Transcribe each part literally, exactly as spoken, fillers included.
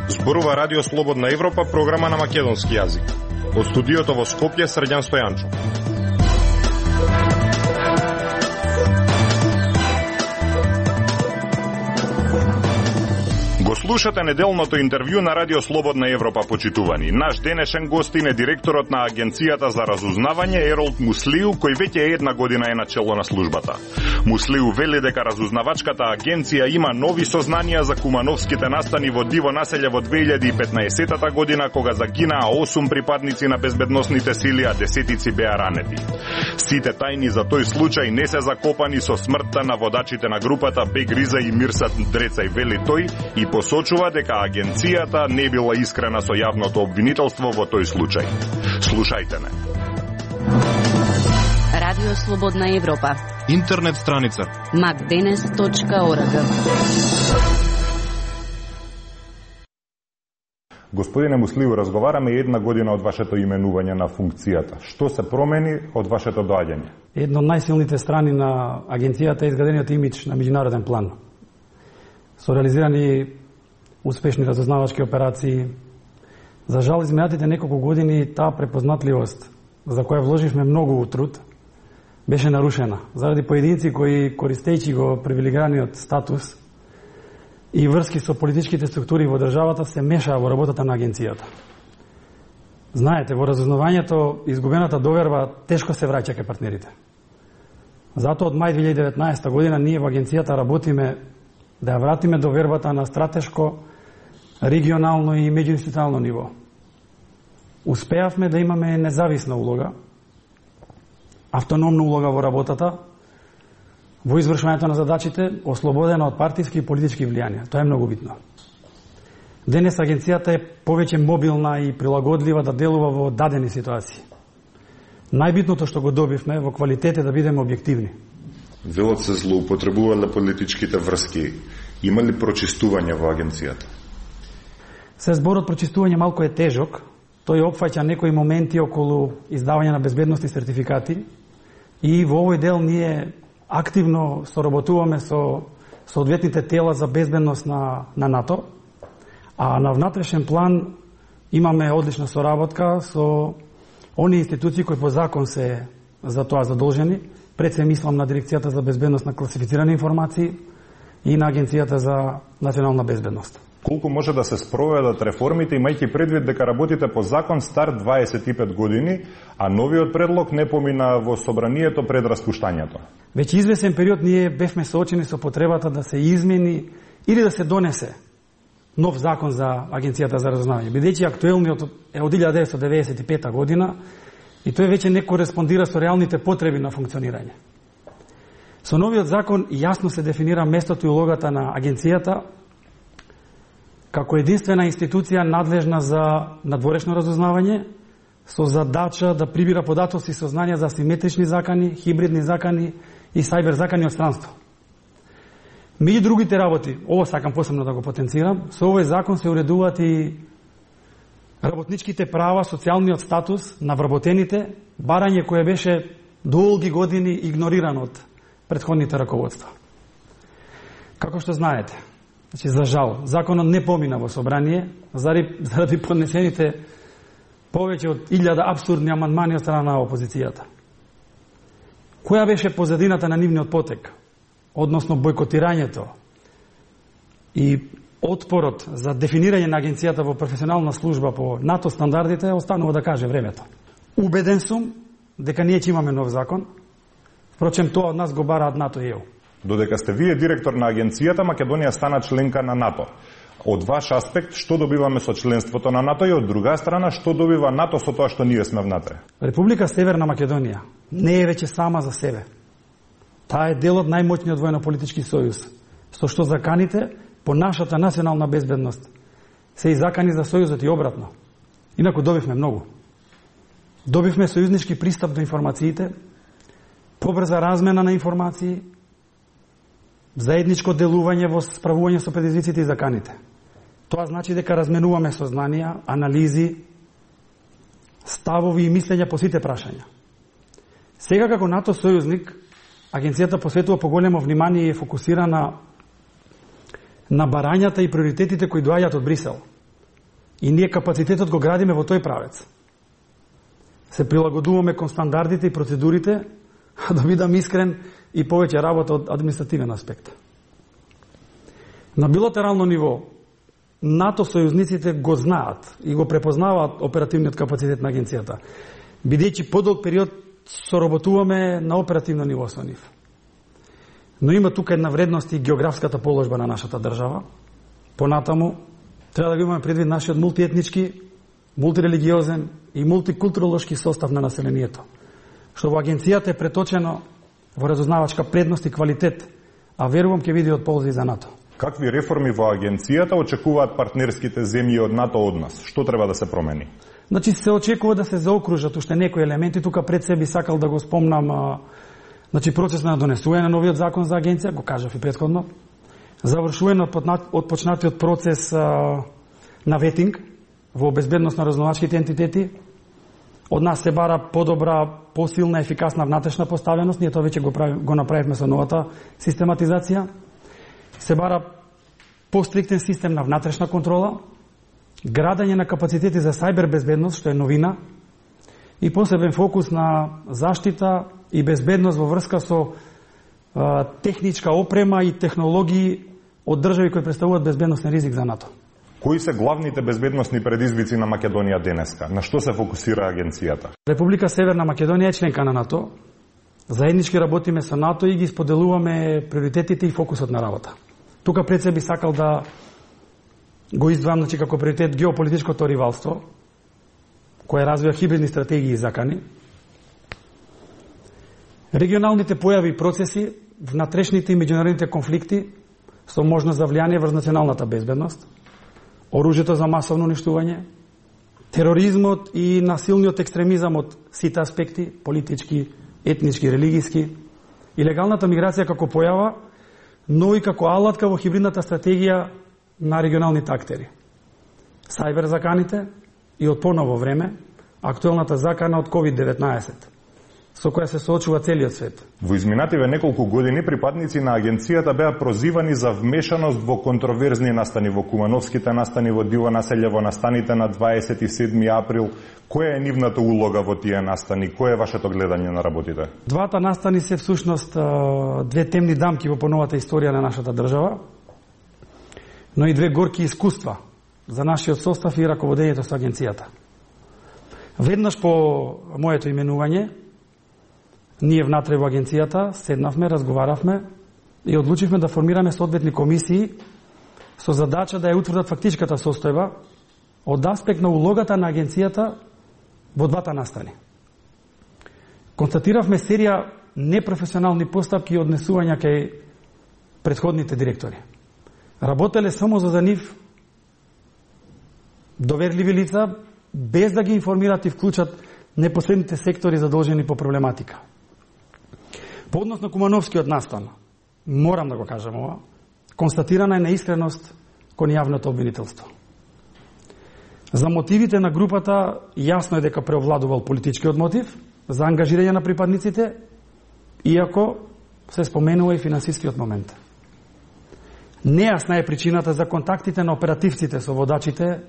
Зборува Радио Слободна Европа, програма на македонски јазик. Од студиото во Скопје, Срđan Стојанчо. Го слушате неделното интервју на Радио Слободна Европа, почитувани. Наш денешен гостин е директорот на Агенцијата за разузнавање Еролд Муслиу, кој веќе една година е на чело на службата. Муслиу вели дека разузнавачката агенција има нови сознанија за кумановските настани во диво населје во две илјади и петнаесетта година, кога загинаа осум припадници на безбедносните сили, а десетици беа ранети. Сите тајни за тој случај не се закопани со смртта на водачите на групата Бегриза и Мирсат Дрецај, вели тој, и посочува дека агенцијата не била искрена со јавното обвинителство во тој случај. Слушајте не. Радио Слободна Европа. Интернет страница макденес точка орг. Господине Муслиу, разговараме една година од вашето именување на функцијата. Што се промени од вашето доаѓање? Една од најсилните страни на агенцијата е изградениот имидж на меѓународен план. Со реализирани успешни разузнавачки операции. За жал, изминатите неколку години таа препознатливост, за која вложивме многу труд, беше нарушена заради поединци кои, користејќи го привилегираниот статус и врски со политичките структури во државата, се мешаа во работата на агенцијата. Знаете, во разузнавањето изгубената доверба тешко се враќа кај партнерите. Затоа од мај две илјади и деветнаесетта година ние во агенцијата работиме да ја вратиме довербата на стратешко, регионално и меѓуинституционално ниво. Успеавме да имаме независна улога, автономна улога во работата, во извршувањето на задачите, ослободена од партиски и политички влијанија. Тоа е многу битно. Денес агенцијата е повеќе мобилна и прилагодлива да делува во дадени ситуации. Најбитното што го добивме во квалитет е да бидеме објективни. Велот се злоупотребувале политичките врски. Има ли прочистување во агенцијата? Се зборот прочистување малку е тежок. Тој опфаќа некои моменти околу издавање на безбедносни сертификати и во овој дел ние активно соработуваме со соодветните тела за безбедност на, на НАТО, а на внатрешен план имаме одлична соработка со они институции кои по закон се за тоа задолжени. Пред се мислам на Дирекцијата за безбедност на класифицирани информации и на Агенцијата за национална безбедност. Колку може да се спроведат реформите, имајќи предвид дека работите по закон стар дваесет и пет години, а новиот предлог не помина во собранието пред распуштањето? Веќе извесен период ние бевме соочени со потребата да се измени или да се донесе нов закон за Агенцијата за разузнавање, бидејќи актуелниот е од илјада деветстотини деведесет и пета година и тој веќе не кореспондира со реалните потреби на функционирање. Со новиот закон јасно се дефинира местото и улогата на агенцијата како единствена институција надлежна за надворешно разузнавање, со задача да прибира податоци и сознанија за асиметрични закани, хибридни закани и сајбер закани од странство. Меѓу другите работи, ово сакам посебно да го потенцирам, со овој закон се уредуваат и работничките права, социјалниот статус на вработените, барање кое беше долги години игнорирано од претходните раководства. Како што знаете, значи, за жал, законот не помина во собрание заради, заради поднесените повеќе од илјада абсурдни амандмани од страна на опозицијата. Која беше позадината на нивниот потек, односно бојкотирањето и отпорот за дефинирање на агенцијата во професионална служба по НАТО стандардите, останува да каже времето. Убеден сум дека ние ќе имаме нов закон, впрочем тоа од нас го бараат НАТО и ЕУ. Додека сте вие директор на агенцијата, Македонија стана членка на НАТО. Од ваш аспект, што добиваме со членството на НАТО и од друга страна, што добива НАТО со тоа што ние сме внатре? Република Северна Македонија не е веќе сама за себе. Таа е дел од најмоćниот војно-политички сојуз, со што заканите по нашата национална безбедност се и закани за сојузот и обратно. Инаку добивме многу. Добивме сојузнички пристап до информациите, побрза размена на информации, заедничко делување во справување со предизвиците и заканите. Тоа значи дека разменуваме сознанија, анализи, ставови и мислења по сите прашања. Сега како НАТО сојузник, агенцијата посветува поголемо внимание и е фокусирана на барањата и приоритетите кои доаѓаат од Брисел. И ние капацитетот го градиме во тој правец. Се прилагодуваме кон стандардите и процедурите, а да бидам искрен, и повеќе работа од административен аспект. На билатерално ниво, НАТО сојузниците го знаат и го препознаваат оперативниот капацитет на агенцијата, бидејќи подолг период соработуваме на оперативно ниво со нив. Но има тука една вредност и географската положба на нашата држава. Понатаму, треба да го имаме предвид нашиот мултиетнички, мултирелигиозен и мултикултуролошки состав на населението, што во агенцијата е преточено во разузнавачка предност и квалитет, а верувам ќе биде од ползи за НАТО. Какви реформи во агенцијата очекуваат партнерските земји од НАТО од нас? Што треба да се промени? Значи се очекува да се заокружат уште некои елементи. Тука пред себе сакал да го спомнам, а, значи процес на донесување на новиот закон за агенција, го кажав и претходно. Завршување од почнатиот процес а, на ветинг во безбедност на разузнавачките ентитети. Од нас се бара подобра, посилна, ефикасна внатрешна поставеност. Ние тоа веќе го, прави, го направивме со новата систематизација. Се бара постриктен систем на внатрешна контрола, градење на капацитети за сајбер безбедност, што е новина, и посебен фокус на заштита и безбедност во врска со а, техничка опрема и технологии од држави кои представуваат безбедносен ризик за НАТО. Кои се главните безбедносни предизвици на Македонија денеска? На што се фокусира агенцијата? Република Северна Македонија е членка на НАТО. Заеднички работиме со НАТО и ги споделуваме приоритетите и фокусот на работа. Тука пред се би сакал да го издвоам, значи, како приоритет геополитичкото ривалство, кое развива хибридни стратегии и закани, регионалните појави и процеси, внатрешните и меѓународните конфликти со можност за влијание врз националната безбедност, оружјето за масовно уништување, тероризмот и насилниот екстремизам од сите аспекти, политички, етнички, религиски, илегалната миграција како појава, но и како алатка во хибридната стратегија на регионалните актери. Сајбер заканите и од поново време актуелната закана од ковид деветнаесет, со која се соочува целиот свет. Во изминативе неколку години припадници на агенцијата беа прозивани за вмешаност во контроверзни настани, во кумановските настани во Диво населје, во настаните на дваесет и седми април. Која е нивната улога во тие настани? Кој е вашето гледање на работите? Двата настани се всушност две темни дамки во поновата историја на нашата држава, но и две горки искуства за нашиот состав и раководењето со агенцијата. Веднаш по моето именување, ние внатре во агенцијата седнавме, разговаравме и одлучивме да формираме соодветни комисии со задача да ја утврдат фактичката состојба од аспект на улогата на агенцијата во двата настани. Констатиравме серија непрофесионални постапки и однесувања кај претходните директори. Работеле само за нив доверливи лица, без да ги информират и вклучат непосредните сектори задолжени по проблематика. По однос на Кумановскиот настан, морам да го кажам ова, констатирана е неискреност кон јавното обвинителство. За мотивите на групата јасно е дека преовладувал политичкиот мотив за ангажирање на припадниците, иако се споменува и финансискиот момент. Нејасна е причината за контактите на оперативците со водачите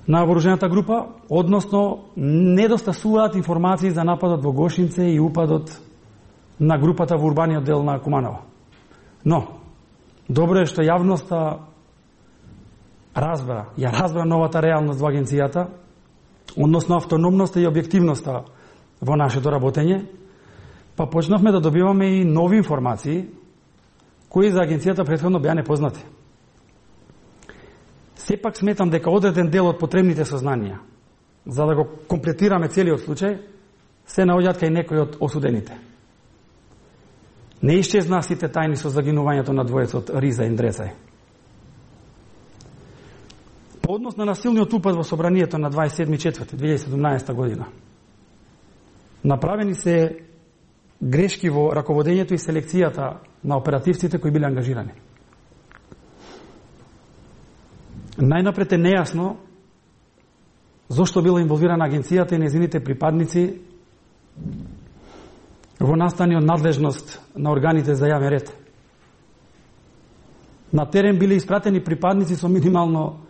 на вооружената група, односно недостасуваат информации за нападот во Гошинце и упадот на групата во урбаниот дел на Куманово. Но, добро е што јавноста разбра, ја разбра новата реалност во агенцијата, односно автономноста и објективноста во нашето работење, па почнавме да добиваме и нови информации кои за агенцијата претходно беа непознати. Сепак сметам дека одреден дел од потребните сознанија, за да го комплетираме целиот случај, се наоѓаат кај некои од осудените. Не исчезна сите тајни со загинувањето на двојецот Риза и Ндрецај. По однос на насилниот упад во собранието на дваесет и седми четврти две илјади и седумнаесета година, направени се грешки во раководењето и селекцијата на оперативците кои биле ангажирани. Најнапред е нејасно зошто била инволвирана агенцијата и незините припадници во настани од надлежност на органите за јавен ред. На терен биле испратени припадници со минимално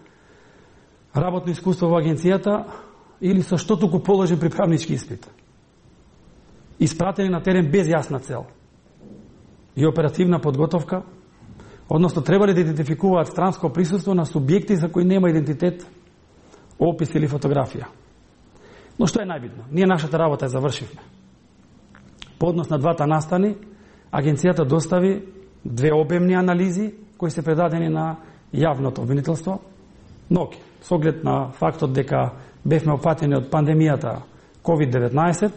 работно искуство во агенцијата или со што туку положен приправнички испит. Испратени на терен без јасна цел и оперативна подготовка, односно требале да идентификуваат странско присуство на субјекти за кои нема идентитет, опис или фотографија. Но што е најбитно? Ние нашата работа ја завршивме. По однос на двата настани, агенцијата достави две обемни анализи кои се предадени на јавното обвинителство, но со оглед на фактот дека бевме опатени од пандемијата ковид деветнаесет,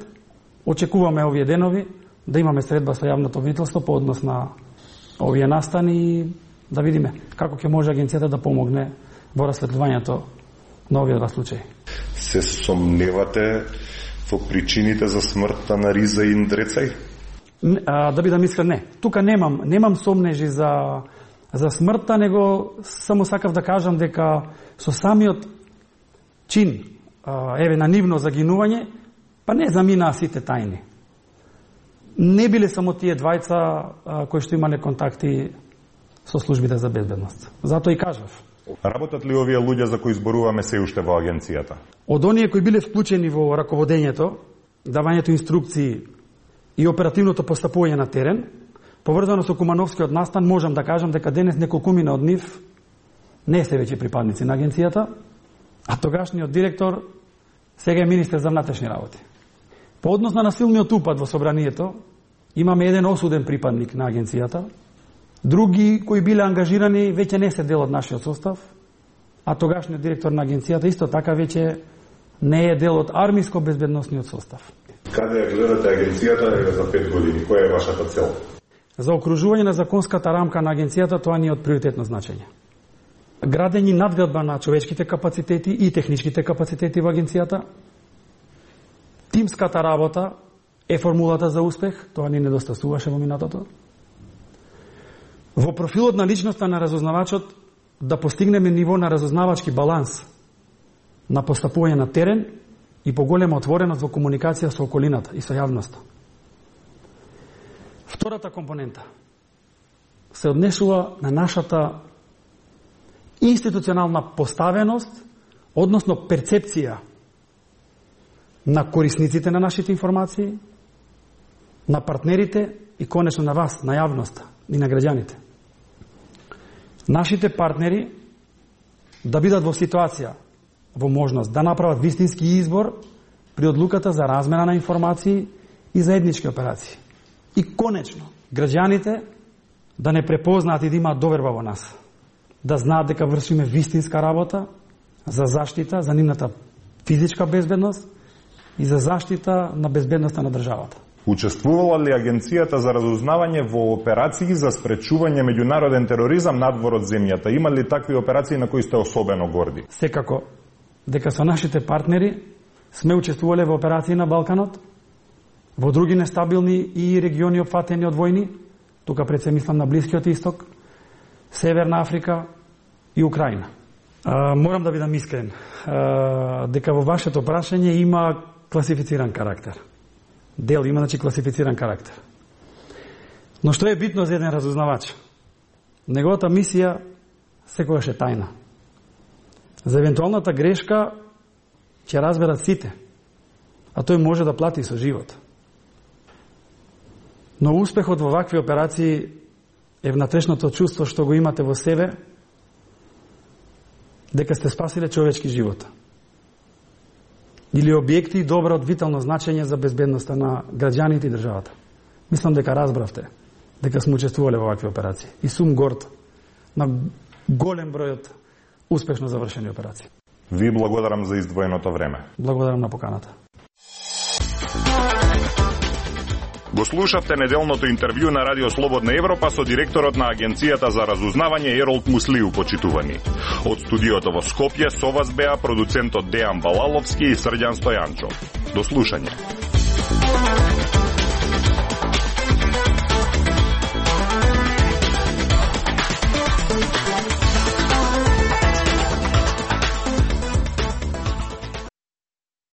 очекуваме овие денови да имаме средба со јавното обвинителство по однос на овие настани и да видиме како ќе може агенцијата да помогне во расветлувањето на овие два случаи. Се сомневате во причините за смртта на Риза и Индрецај? А, да бидам искрен, не. Тука немам, немам сомнежи за, за смртта, него само сакав да кажам дека со самиот чин, а, еве, на нивно загинување, па не заминаа сите тајни. Не биле само тие двајца а, кои што имале контакти со службите за безбедност. Затоа и кажав. Работат ли овие луѓе за кои зборуваме се уште во агенцијата? Од оние кои биле вклучени во раководењето, давањето инструкции и оперативното постапување на терен, поврзано со Кумановскиот настан, можам да кажам дека денес неколкумина од нив не се веќе припадници на агенцијата, а тогашниот директор сега е министер за внатрешни работи. По однос на насилниот упад во собранието, имаме еден осуден припадник на агенцијата, други кои биле ангажирани веќе не се дел од нашиот состав, а тогашниот директор на агенцијата исто така веќе не е дел од армиско-безбедносниот состав. Каде ја гледате агенцијата за пет години? Која е вашата цел? За окружување на законската рамка на агенцијата тоа ни е од приоритетно значење. Градење надградба на човечките капацитети и техничките капацитети во агенцијата. Тимската работа е формулата за успех, тоа ни недостасуваше во минатото. Во профилот на личноста на разузнавачот да постигнеме ниво на разузнавачки баланс, на постапување на терен и поголема отвореност во комуникација со околината и со јавноста. Втората компонента се однесува на нашата институционална поставеност, односно перцепција на корисниците на нашите информации, на партнерите и конечно на вас, на јавноста и на граѓаните. Нашите партнери да бидат во ситуација, во можност да направат вистински избор при одлуката за размена на информации и заеднички операции. И конечно, граѓаните да не препознаат и да имаат доверба во нас. Да знаат дека вршиме вистинска работа за заштита, за нивната физичка безбедност и за заштита на безбедноста на државата. Учествувала ли агенцијата за разузнавање во операции за спречување меѓународен тероризам надвор од земјата? Има ли такви операции на кои сте особено горди? Секако, дека со нашите партнери сме учествувале во операции на Балканот, во други нестабилни и региони опфатени од војни, тука пред се мислам на Блискиот Исток, Северна Африка и Украина. А, морам да бидам искрен, а, дека во вашето прашање има класифициран карактер. Дел има, значи, класифициран карактер. Но што е битно за еден разузнавач? Неговата мисија секогаш е тајна. За евентуалната грешка ќе разберат сите, а тој може да плати со живот. Но успехот во вакви операции е внатрешното чувство што го имате во себе, дека сте спасиле човечки живот. Или објекти и добра од витално значење за безбедноста на граѓаните и државата. Мислам дека разбравте дека сме учествувале во вакви операции. И сум горд на голем број од успешно завршени операции. Ви благодарам за издвоеното време. Благодарам на поканата. Го слушавте неделното интервју на Радио Слободна Европа со директорот на Агенцијата за разузнавање Еролд Муслиу, почитувани. Од студиото во Скопје со вас беа продуцентот Дејан Балаловски и Срđan Стојанчов. До слушање.